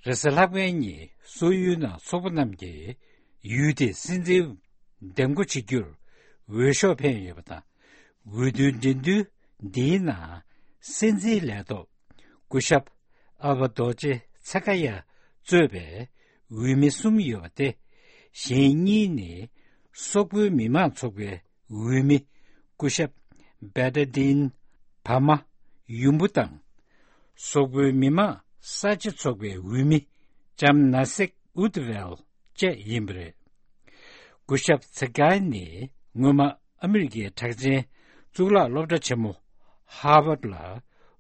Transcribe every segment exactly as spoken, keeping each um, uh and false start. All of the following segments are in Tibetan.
རེས་གཟའ་ལྷག་པའི་ཉིན་སོག་ཡུལ་ནང་ཚོགས་པ་རྣམས་ཀྱིས་ཡུལ་དེའི་སྲིད་འཛིན་འདེམས་བསྐོ་བྱེད་རྒྱུར་འོས་ཤོག་འཕེན་ཡོད་པ་དང་། འོས་བསྡུའི་འགྲན་བསྡུར་འདིའི་ནང་སྲིད་འཛིན་ལས་ཐོག་སྐུ་ཞབས་ཨལ་བྷ་རྡོ་ཅེ་ཚ་ཀ་ཡ་གཙོས་པའི་འོས་མི་གསུམ་ཡོད་པ་སྟེ། གཞན་གཉིས་ནི་སོག་པོའི་མི་མང་ཚོགས་པའི་འོས་མི་སྐུ་ཞབས་བེ་ཏ་ཏིན་བྷ་མ་ཡུམ་བུ་དང་། སོག་པོའི་མི་མང་གསར་བརྗེ་ཚོགས་པའི་འོས་མི་ལྕམ་ན་སེག་ཨུད་ཝེལ་བཅས་ཡིན་པ་རེད། སྐུ་ཞབས་ཚེ་སྐལ་ནི་སྔོན་མ་ཨ་མི་རི་ཀའི་གྲགས་ཅན་གཙུག་ལག་སློབ་གྲྭ་ཆེན་མོ་ཧར་ཝརཌ་ལ་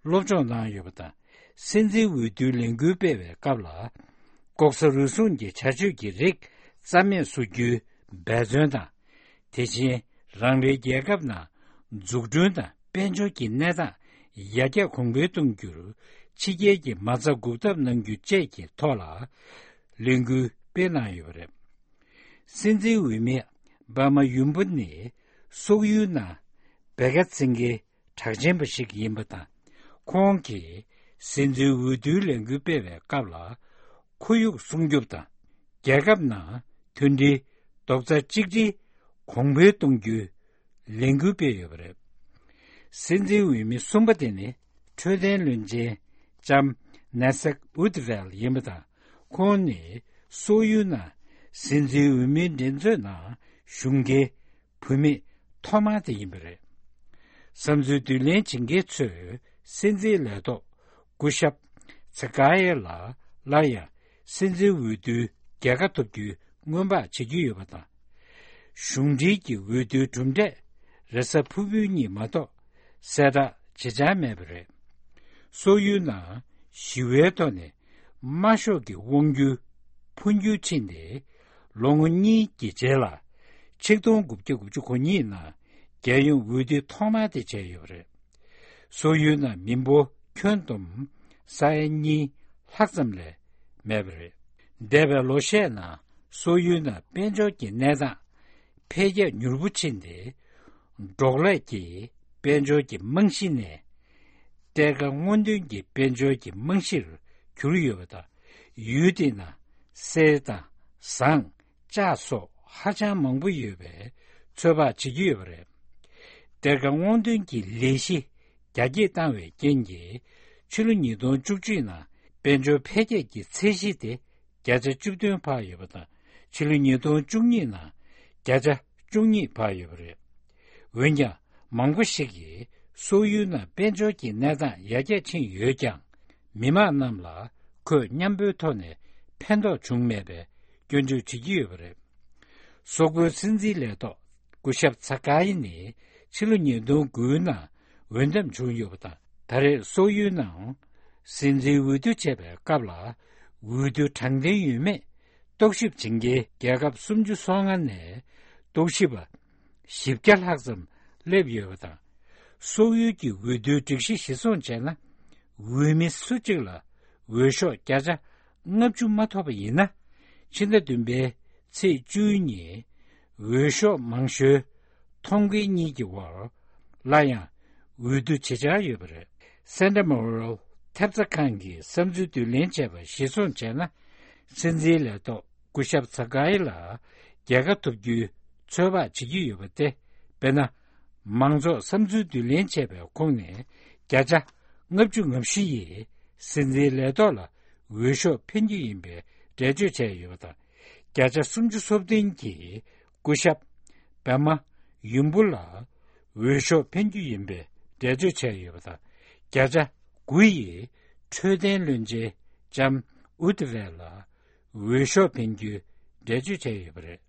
སློབ་སྦྱོང་གནང་ཡོད་པ་དང་། སྲིད་འཛིན་འོས་བསྡུའི་ལས་འགུལ་སྤེལ་བའི་སྐབས་ལ། ལྐོག་ཟ་རུལ་སུངས་ཀྱི་བྱ་སྤྱོད་ཀྱི་རིགས་རྩ་མེད་བཟོ་རྒྱུའི་འབད་བརྩོན་དང་། དེ་བཞིན་རང་རེའི་རྒྱལ་ཁབ་ནང་འཛུགས་སྐྲུན་དང་དཔལ་འབྱོར་གྱི་གནས་སྟངས་ཡར་རྒྱས་གོང་འཕེལ་གཏོང་རྒྱུར་ཕྱི་རྒྱལ་གྱི་མ་རྩ་འགུག་ཐབས་གནང་རྒྱུ་བཅས་ཀྱི་ཐོག་ལ་ལས་འགུལ་སྤེལ་གནང་ཡོད་པ་རེད། སྲིད་འཛིན་འོས་མི་བྷ་མ་ཡུམ་བུ་ནི་སོག་ཡུལ་ནང་བེ་ཀ་ཚིང་གི་གྲགས་ཅན་པ་ཞིག་ཡིན་པ་དང་། ཁོང་གིས་སྲིད་འཛིན་འོས་བསྡུའི་ལས་འགུལ་སྤེལ་བའི་སྐབས་ལ། ཁོར་ཡུག་སྲུང་སྐྱོབ་དང་། རྒྱལ་ཁབ་ནང་མཐུན་སྒྲིལ་རྡོག་རྩ་གཅིག་སྒྲིལ་གོང་འཕེལ་གཏོང་རྒྱུའི་ལས་འགུལ་སྤེལ་ཡོད་པ་རེད། སྲིད་འཛིན་འོས་མི་གསུམ་པ་དེ་ནི་འཕྲོད་བསྟེན་བློན་ཆེན་ལྕམ་ན་སེག་ཨུད་ཝེལ་ཡིན་པ་དང་། ཁོང་ནི་སོག་ཡུལ་ནང་སྲིད་འཛིན་འོས་མིའི་འགྲན་རྩོད་ནང་ཞུགས་མཁན་བུད་མེད་ཐོག་མ་དེ་ཡིན་པ་རེད། བསམ་ཚུལ་བསྡུ་ལེན་བྱེད་མཁན་ཚོས་སྲིད་འཛིན་ལས་ཐོག་སྐུ་ཞབས་ཚེ་ཀ་ཡེ་ལ་སླར་ཡང་སྲིད་འཛིན་འོས་བསྡུའི་རྒྱལ་ཁ་ཐོབ་རྒྱུའི་སྔོན་དཔག་བྱེད་ཀྱི་ཡོད་པ་དང་། གཞུང་འབྲེལ་གྱི་འོས་བསྡུའི་གྲུབ་འབྲས་རེས་གཟའ་ཕུར་བུའི་ཉིན་མ་གཏོགས་གསལ་བསྒྲགས་བྱེད་འཆར་མེད་པ་རེད། སོག་ཡུལ་ནང་ཞི་བའི་ཐོག་ནས་དམར་ཤོག་གི་དབང་སྒྱུར་འཕོ་འགྱུར་ཕྱིན་ཏེ། ལོ་ངོ་གཉིས་ཀྱི་རྗེས་ལ་ཆིག་སྟོང་དགུ་བརྒྱ་དགུ་བཅུ་གོ་གཉིས་ནང་རྒྱལ་ཡོངས་འོས་བསྡུ་ཐོག་མ་དེ་བྱས་ཡོད་པ་རེད། སོག་ཡུལ་ནང་མི་འབོར་ཁྱོན་བསྡོམས་ས་ཡ་གཉིས་ལྷག་ཙམ་ལས་མེད་པ་རེད། འདས་པའི་ལོ་ཤས་ནང་སོག་ཡུལ་ནང་དཔལ་འབྱོར་གྱི་གནས་སྟངས་འཕེལ་རྒྱས་མྱུར་པོ་ཕྱིན་ཏེ། འབྲོག་ལས་ཀྱི་དཔལ་འབྱོར་གྱི་རྨང་གཞི་ནས་གཏེར་ཁ་སྔོག་འདོན་གྱི་དཔལ་འབྱོར་གྱི་རྨང་གཞིར་གྱུར་ཡོད་པ་དང་། ཡུལ་དེ་ན་གསེར་དང་ཟངས། ལྕགས་སོགས་ཧ་ཅང་མང་པོ་ཡོད་པའི་ཚོད་དཔག་བྱེད་ཀྱི་ཡོད་པ་རེད། གཏེར་ཁ་སྔོག་འདོན་གྱི་ལས་གཞི་རྒྱ་སྐྱེད་བཏང་བའི་རྐྱེན་གྱིས། ཕྱི་ལོ་ཉིས་སྟོང་བཅུ་གཅིག་ནང་དཔལ་འབྱོར་འཕེལ་རྒྱས་ཀྱི་ཚད་གཞི་དེ་བརྒྱ་ཆ་བཅུ་བདུན་འཕར་ཡོད་པ་དང་། ཕྱི་ལོ་ཉིས་སྟོང་བཅུ་གཉིས་ནང་བརྒྱ་ཆ་བཅུ་གཉིས་འཕར་ཡོད་པ་རེད། འོན་ཀྱང་། མང་པོ་ཞིག་གིས་སོག་ཡུལ་ནང་དཔལ་འབྱོར་གྱི་གནས་སྟངས་ཡར་རྒྱས་ཕྱིན་ཡོད་ཀྱང་། མི་མང་རྣམས་ལ་ཁོད་མཉམ་པོའི་ཐོག་ནས་ཕན་ཐོགས་བྱུང་མེད་པའི་སྐྱོན་བརྗོད་བྱེད་ཀྱི་ཡོད་པ་རེད། སོག་པོའི་སྲིད་འཛིན་ལས་ཐོག་སྐུ་ཞབས་ཚ་ཀ་ཡི་ནི་ཕྱི་ལོ་ཉིས་སྟོང་དགུའི་ནང་འོས་འདེམས་བྱུང་ཡོད་པ་དང་། ད་རེས་སོག་ཡུལ་ནང་སྲིད་འཛིན་འོས་བསྡུ་བྱས་པའི་སྐབས་ལ། འོས་བསྡུ་དྲང་བདེན་ཡོད་མེད་རྟོག་ཞིབ་བྱེད་མཁན་རྒྱལ་ཁབ་སུམ་ཅུ་སོ་ལྔ་ནས་རྟོག་ཞིབ་པ་བཞི་བརྒྱ་ལྷག་ཙམ་སླེབས་ཡོད་པ་དང་། སོག་ཡུལ་གྱི་འོས་བསྡུའི་སྒྲིག་གཞི་གཞིར་བཟུང་བྱས་ན། འོས་མི་སུ་གཅིག་ལ་འོས་ཤོག་བརྒྱ་ཆ་ལྔ་བཅུ་མ་ཐོབ་པ་ཡིན་ན། ཕྱི་ཟླ་བདུན་པའི་ཚེས་བཅུའི་ཉིན་འོས་ཤོག་མང་ཤོས་ཐོབ་མཁན་གཉིས་ཀྱི་བར་སླར་ཡང་འོས་བསྡུ་བྱེད་འཆར་ཡོད་པ་རེད། སེན་ཏྲ་མོ་རལ་ཐེབས་རྩ་ཁང་གིས་བསམ་ཚུལ་བསྡུ་ལེན་བྱས་པ་གཞིར་བཟུང་བྱས་ན། སྲིད་འཛིན་ལས་ཐོག་སྐུ་ཞབས་ཚ་ཀ་ཡི་ལ་རྒྱལ་ཁ་ཐོབ་རྒྱུའི་ཚོད་དཔག་བྱེད་ཀྱི་ཡོད་པ་སྟེ། དཔེར་ན། མང་ཚོགས་བསམ་ཚུལ་བསྡུ་ལེན་བྱས་པའི་ཁོངས་ནས་བརྒྱ་ཆ་ལྔ་བཅུ་ང་བཞི་ཡིས་སྲིད་འཛིན་ལས་ཐོག་ལ་འོས་ཤོག་འཕེན་རྒྱུ་ཡིན་པའི་འགྲེལ་བརྗོད་བྱས་ཡོད་པ་དང་། བརྒྱ་ཆ་སུམ་ཅུ་སོ་བདུན་གྱིས་སྐུ་ཞབས་བྷ་མ་ཡུམ་བུ་ལ་འོས་ཤོག་འཕེན་རྒྱུ་ཡིན་པའི་འགྲེལ་བརྗོད་བྱས་ཡོད་པ་དང་། བརྒྱ་ཆ་དགུ་ཡིས་འཕྲོད་བསྟེན་བློན་ཆེན་ལྕམ་ཨུད་ཝེ་ལ་འོས་ཤོག་འཕེན་རྒྱུའི་འགྲེལ་བརྗོད་བྱས་ཡོད་པ་རེད།